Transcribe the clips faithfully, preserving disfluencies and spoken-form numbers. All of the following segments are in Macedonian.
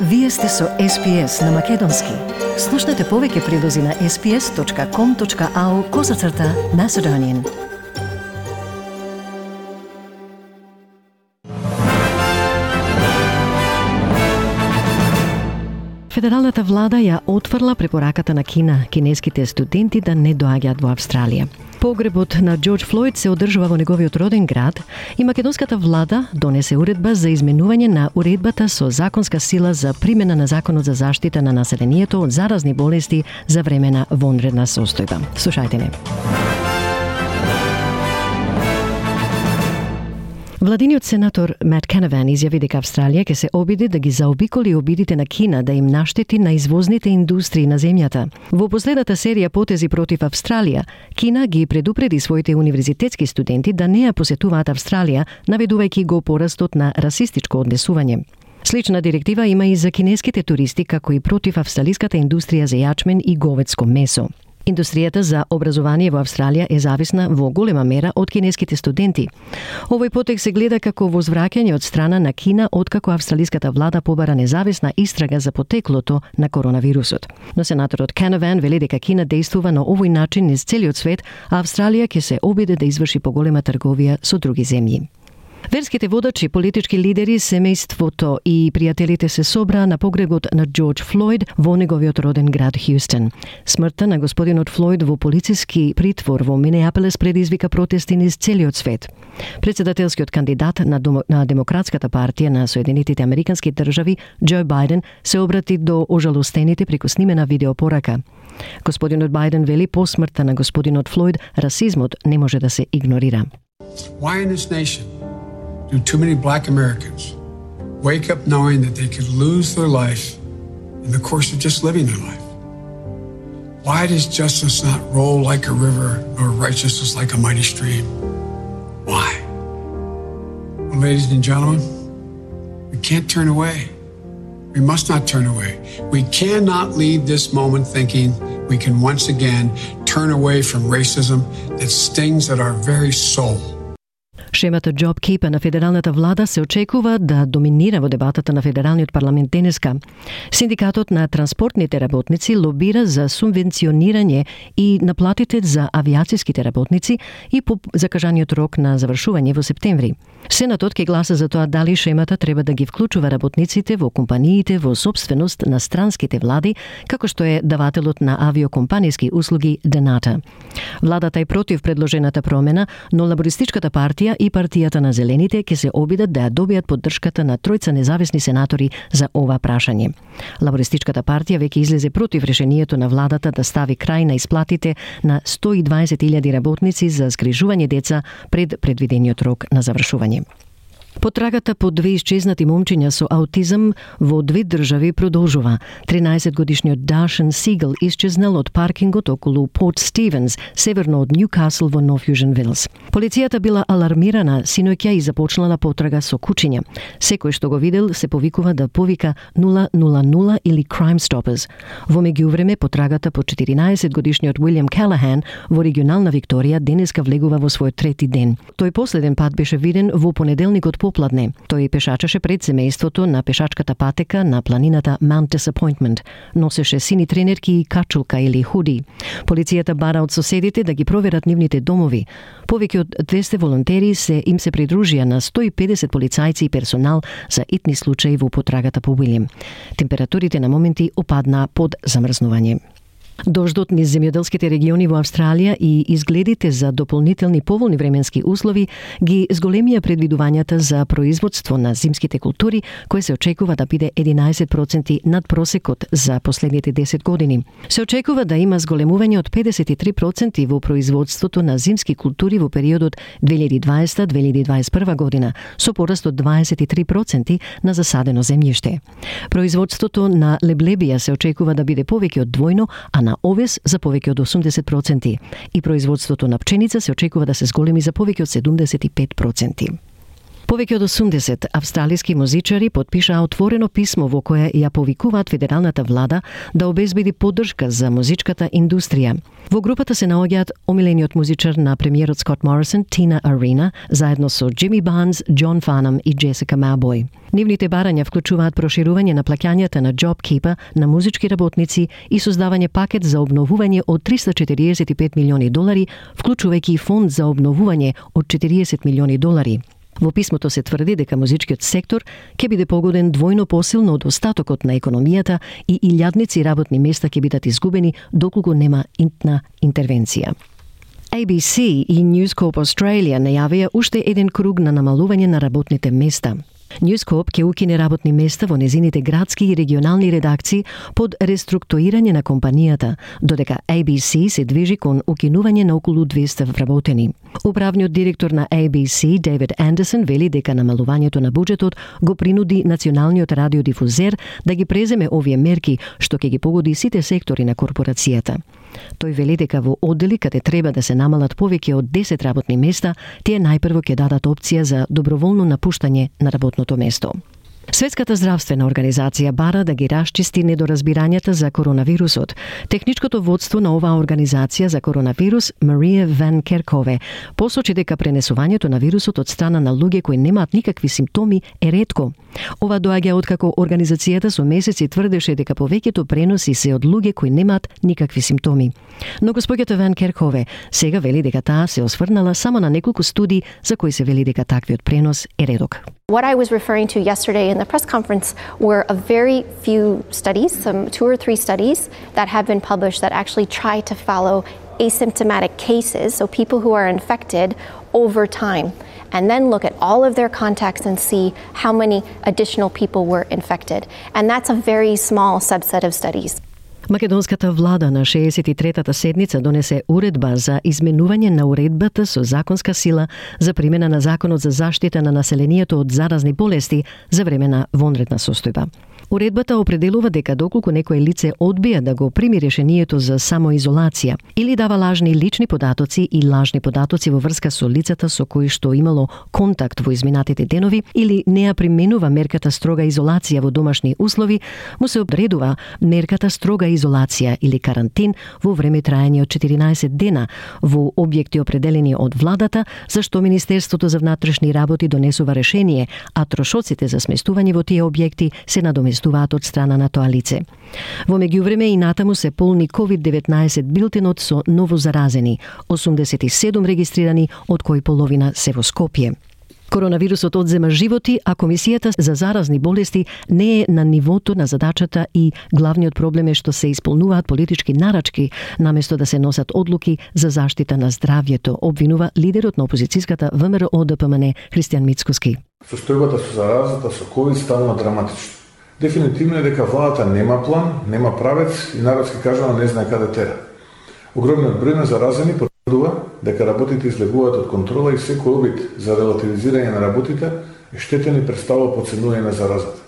Вие сте со Ес Пи Ес на Македонски. Слушнете повеќе прилози на ес пи ес точка ком точка ау козацрта Macedonian. Федералната влада ја отфрла препораката на Кина кинеските студенти да не доаѓаат во Австралија. Погребот на Џорџ Флојд се одржува во неговиот роден град и македонската влада донесе уредба за изменување на уредбата со законска сила за примена на Законот за заштита на населението од заразни болести за време на вонредна состојба. Слушајте не. Владиниот сенатор Мат Канаван изјави дека Австралија ќе се обиди да ги заобиколи обидите на Кина да им наштети на извозните индустрии на земјата. Во последната серија потези против Австралија, Кина ги предупреди своите универзитетски студенти да не ја посетуваат Австралија, наведувајќи го порастот на расистичко однесување. Слична директива има и за кинеските туристи, како и против австралиската индустрија за јачмен и говедско месо. Индустријата за образование во Австралија е зависна во голема мера од кинеските студенти. Овој потек се гледа како возвраќање од страна на Кина откако австралиската влада побара независна истрага за потеклото на коронавирусот. Но сенаторот Канаван вели дека Кина действува на овој начин низ целиот свет, а Австралија ќе се обиде да изврши поголема трговија со други земји. Верските водачи, политички лидери, семејството и пријателите се собраа на погребот на Џорџ Флојд во неговиот роден град Хјустон. Смртта на господинот Флојд во полициски притвор во Минеаполис предизвика протести низ целиот свет. Председателскиот кандидат на, домо, на Демократската партија на Соединетите Американски држави, Џо Бајден, се обрати до ожалостените преку снимена видеопорака. Господинот Бајден вели по смртта на господинот Флојд расизмот не може да се игнорира. Why in this nation do too many black Americans wake up knowing that they could lose their life in the course of just living their life? Why does justice not roll like a river or righteousness like a mighty stream? Why? Well, ladies and gentlemen, we can't turn away. We must not turn away. We cannot leave this moment thinking we can once again turn away from racism that stings at our very soul. Шемата JobKeeper на федералната влада се очекува да доминира во дебатата на федералниот парламент денеска. Синдикатот на транспортните работници лобира за субвенционирање и наплатите за авијациските работници и по закажаниот рок на завршување во септември. Сенатот ќе гласа за тоа дали шемата треба да ги вклучува работниците во компаниите во собственост на странските влади, како што е давателот на авиокомпаниски услуги Denata. Владата е против предложената промена, но лабористичката партија и партијата на Зелените ќе се обидат да ја добијат поддршката на тројца независни сенатори за ова прашање. Лабористичката партија веќе излезе против решението на владата да стави крај на исплатите на сто и дваесет илјади работници за згрижување деца пред предвидениот рок на завршување. Потрагата по две исчезнати момчиња со аутизам во две држави продолжува. тринаесетгодишниот Дашен Сигел исчезнал од паркингот околу Порт Стивенс, северно од Ньюкасл во Нов Јужен Велс. Полицијата била алармирана синоќа и започнала потрага со кучиња. Секој што го видел се повикува да повика нула нула нула или Crime Stoppers. Во меѓувреме потрагата по четиринаесетгодишниот Уилјам Келахан во регионална Викторија денеска влегува во својот трети ден. Тој последен пат беше виден во понеделникот попладне. Тој пешачеше пред семејството на пешачката патека на планината Mount Disappointment. Носеше сини тренерки и качулка или худи. Полицијата бара од соседите да ги проверат нивните домови. Повеќе од двесте волонтери се им се придружија на сто и педесет полицајци и персонал за итни случаи во потрагата по Уилјам. Температурите на моменти опаднаа под замрзнување. Дождот низ земјоделските региони во Австралија и изгледите за дополнителни поволни временски услови ги зголемија предвидувањата за производство на зимските култури, кој се очекува да биде единаесет проценти над просекот за последните десет години. Се очекува да има зголемување од педесет и три проценти во производството на зимски култури во периодот две илјади и дваесета до две илјади и дваесет и прва година, со пораст од дваесет и три проценти на засадено земјиште. Производството на леблебија се очекува да биде повеќе од двојно, а на овес за повеќе од осумдесет проценти и производството на пченица се очекува да се зголеми за повеќе од седумдесет и пет проценти. Повеќе од осумдесет австралиски музичари потпишаа отворено писмо во кое ја повикуваат федералната влада да обезбеди поддршка за музичката индустрија. Во групата се наоѓаат омилениот музичар на премиерот Скот Морисон, Тина Арина, заедно со Джими Барнс, Џон Фанам и Джесика Мелбој. Нивните барања вклучуваат проширување на плаќањата на JobKeeper на музички работници и создавање пакет за обновување од триста четириесет и пет милиони долари, вклучувајќи и фонд за обновување од четириесет милиони долари. Во писмото се тврди дека музичкиот сектор ќе биде погоден двојно посилно од остатокот на економијата и илјадници работни места ќе бидат изгубени доколку нема интна интервенција. A B C и News Corp Australia најавија уште еден круг на намалување на работните места. News Corp ќе укине работни места во незините градски и регионални редакции под реструктурирање на компанијата, додека A B C се движи кон укинување на околу двеста вработени. Управниот директор на A B C, Дейвид Андерсон, вели дека намалувањето на буџетот го принуди националниот радиодифузер да ги преземе овие мерки, што ќе ги погоди сите сектори на корпорацијата. Тој вели дека во оддели каде треба да се намалат повеќе од десет работни места, тие најпрво ќе дадат опција за доброволно напуштање на работното место. Светската здравствена организација бара да ги расчисти недоразбирањата за коронавирусот. Техничкото водство на оваа организација за коронавирус, Марија Ван Керкове, посочи дека пренесувањето на вирусот од страна на луѓе кои немаат никакви симптоми е ретко. Ова доаѓа откако организацијата со месеци тврдеше дека повеќето преноси се од луѓе кои немаат никакви симптоми. Но госпоѓата Ван Керкове сега вели дека таа се осврнала само на неколку студии за кои се вели дека таквиот пренос е редок. What I was referring to yesterday in the press conference were a very few studies, some two or three studies that have been published that actually try to follow asymptomatic cases, so people who are infected over time, and then look at all of their contacts and see how many additional people were infected. And that's a very small subset of studies. Македонската влада на шеесет и третата седница донесе уредба за изменување на уредбата со законска сила за примена на Законот за заштита на населението од заразни болести за време на вонредна состојба. Уредбата определува дека доколку некое лице одбија да го прими решението за самоизолација или дава лажни лични податоци и лажни податоци во врска со лицата со кои што имало контакт во изминатите денови или не ја применува мерката строга изолација во домашни услови, му се одредува мерката строга изолација или карантин во време трајање од четиринаесет дена во објекти определени од владата, за што Министерството за внатрешни работи донесува решение, а трошоците за сместување во тие објекти се надоместуваат од страна на тоа лице. Во меѓувреме и натаму се полни ковид деветнаесет билтенот со новозаразени, осумдесет и седум регистрирани, од кои половина се во Скопје. Коронавирусот одзема животи, а Комисијата за заразни болести не е на нивото на задачата и главниот проблем е што се исполнуваат политички нарачки, наместо да се носат одлуки за заштита на здравјето, обвинува лидерот на опозицијската ВМРО Д П М Н Христијан Мицкоски. Состојбата со заразата со ковид станува драматична. Дефинитивно е дека владата нема план, нема правец и народски кажано не знае каде тера. Огромниот број на заразени потврдува дека работите излегуваат од контрола и секој обид за релативизирање на работите е штетен и представува подценување на заразата.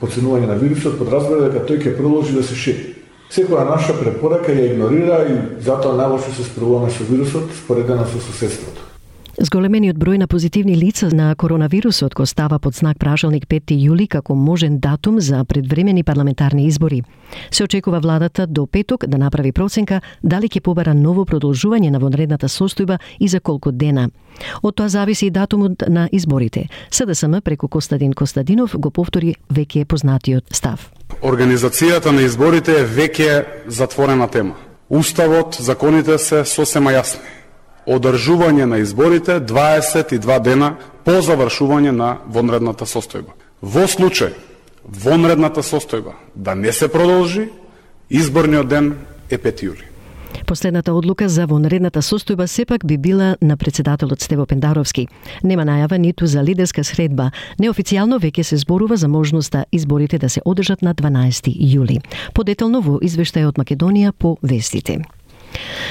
Подценување на вирусот подразбира дека тој ќе продолжи да се шири. Секоја наша препорака ја игнорира и затоа најлошо се справуваме со вирусот споредено со соседството. Зголемениот број на позитивни лица на коронавирусот го става под знак прашалник пети јули како можен датум за предвремени парламентарни избори. Се очекува владата до петок да направи проценка дали ќе побара ново продолжување на вонредната состојба и за колку дена. Од тоа зависи и датумот на изборите. С Д С М преку Костадин Костадинов го повтори веќе познатиот став. Организацијата на изборите е веќе затворена тема. Уставот, законите се сосема јасни. Одржување на изборите дваесет и два дена по завршување на вонредната состојба. Во случај вонредната состојба да не се продолжи, изборниот ден е пети јули. Последната одлука за вонредната состојба сепак би била на председателот Стево Пендаровски. Нема најава ниту за лидерска средба. Неофицијално веќе се зборува за можноста изборите да се одржат на дванаесети јули. Подетално во извештај од Македонија по вестите.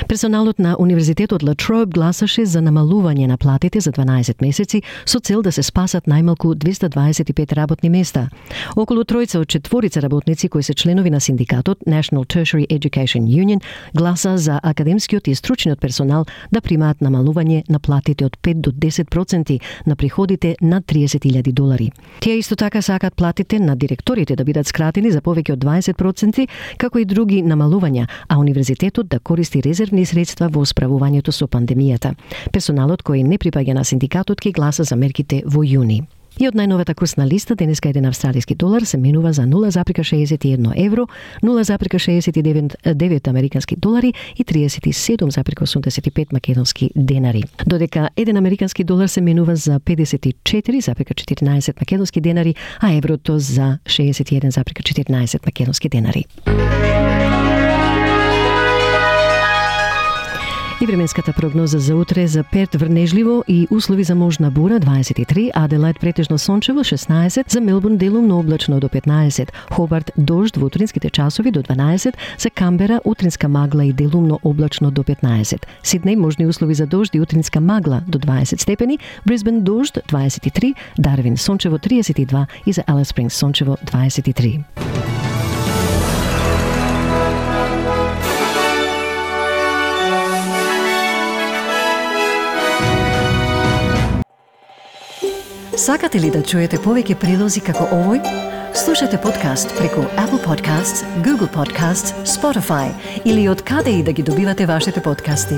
Персоналот на Универзитетот Ла Троб гласаше за намалување на платите за дванаесет месеци со цел да се спасат најмалку двесте дваесет и пет работни места. Околу тројца од четворица работници кои се членови на синдикатот National Tertiary Education Union гласа за академскиот и стручниот персонал да примаат намалување на платите од пет до десет проценти на приходите над триесет илјади долари. Тие исто така сакат платите на директорите да бидат скратени за повеќе од дваесет проценти, како и други намалувања, а универзитетот да користи резервни средства во справувањето со пандемијата. Персоналот кој не припаѓа на синдикатот ки гласа за мерките во јуни. И од најновата курсна листа, денеска еден австралиски долар се менува за нула зарез шеесет и едно евро, нула зарез шеесет и девет американски долари и триесет и седум зарез осумдесет и пет македонски денари. Додека еден американски долар се менува за педесет и четири зарез четирнаесет македонски денари, а еврото за шеесет и еден зарез четирнаесет македонски денари. И временската прогноза за утре: за Перт врнежливо и услови за можна бура дваесет и три, Аделајд претежно сончево шеснаесет, за Мелбурн делумно облачно до петнаесет, Хобарт дожд во утринските часови до дванаесет, за Камбера утринска магла и делумно облачно до петнаесет, Сиднеј можни услови за дожд и утринска магла до дваесет степени, Брисбен дожд дваесет и три, Дарвин сончево триесет и два и за Алис Спрингс сончево дваесет и три. Сакате ли да чуете повеќе прилози како овој? Слушате подкаст преку Apple Podcasts, Google Podcasts, Spotify или од каде и да ги добивате вашите подкасти.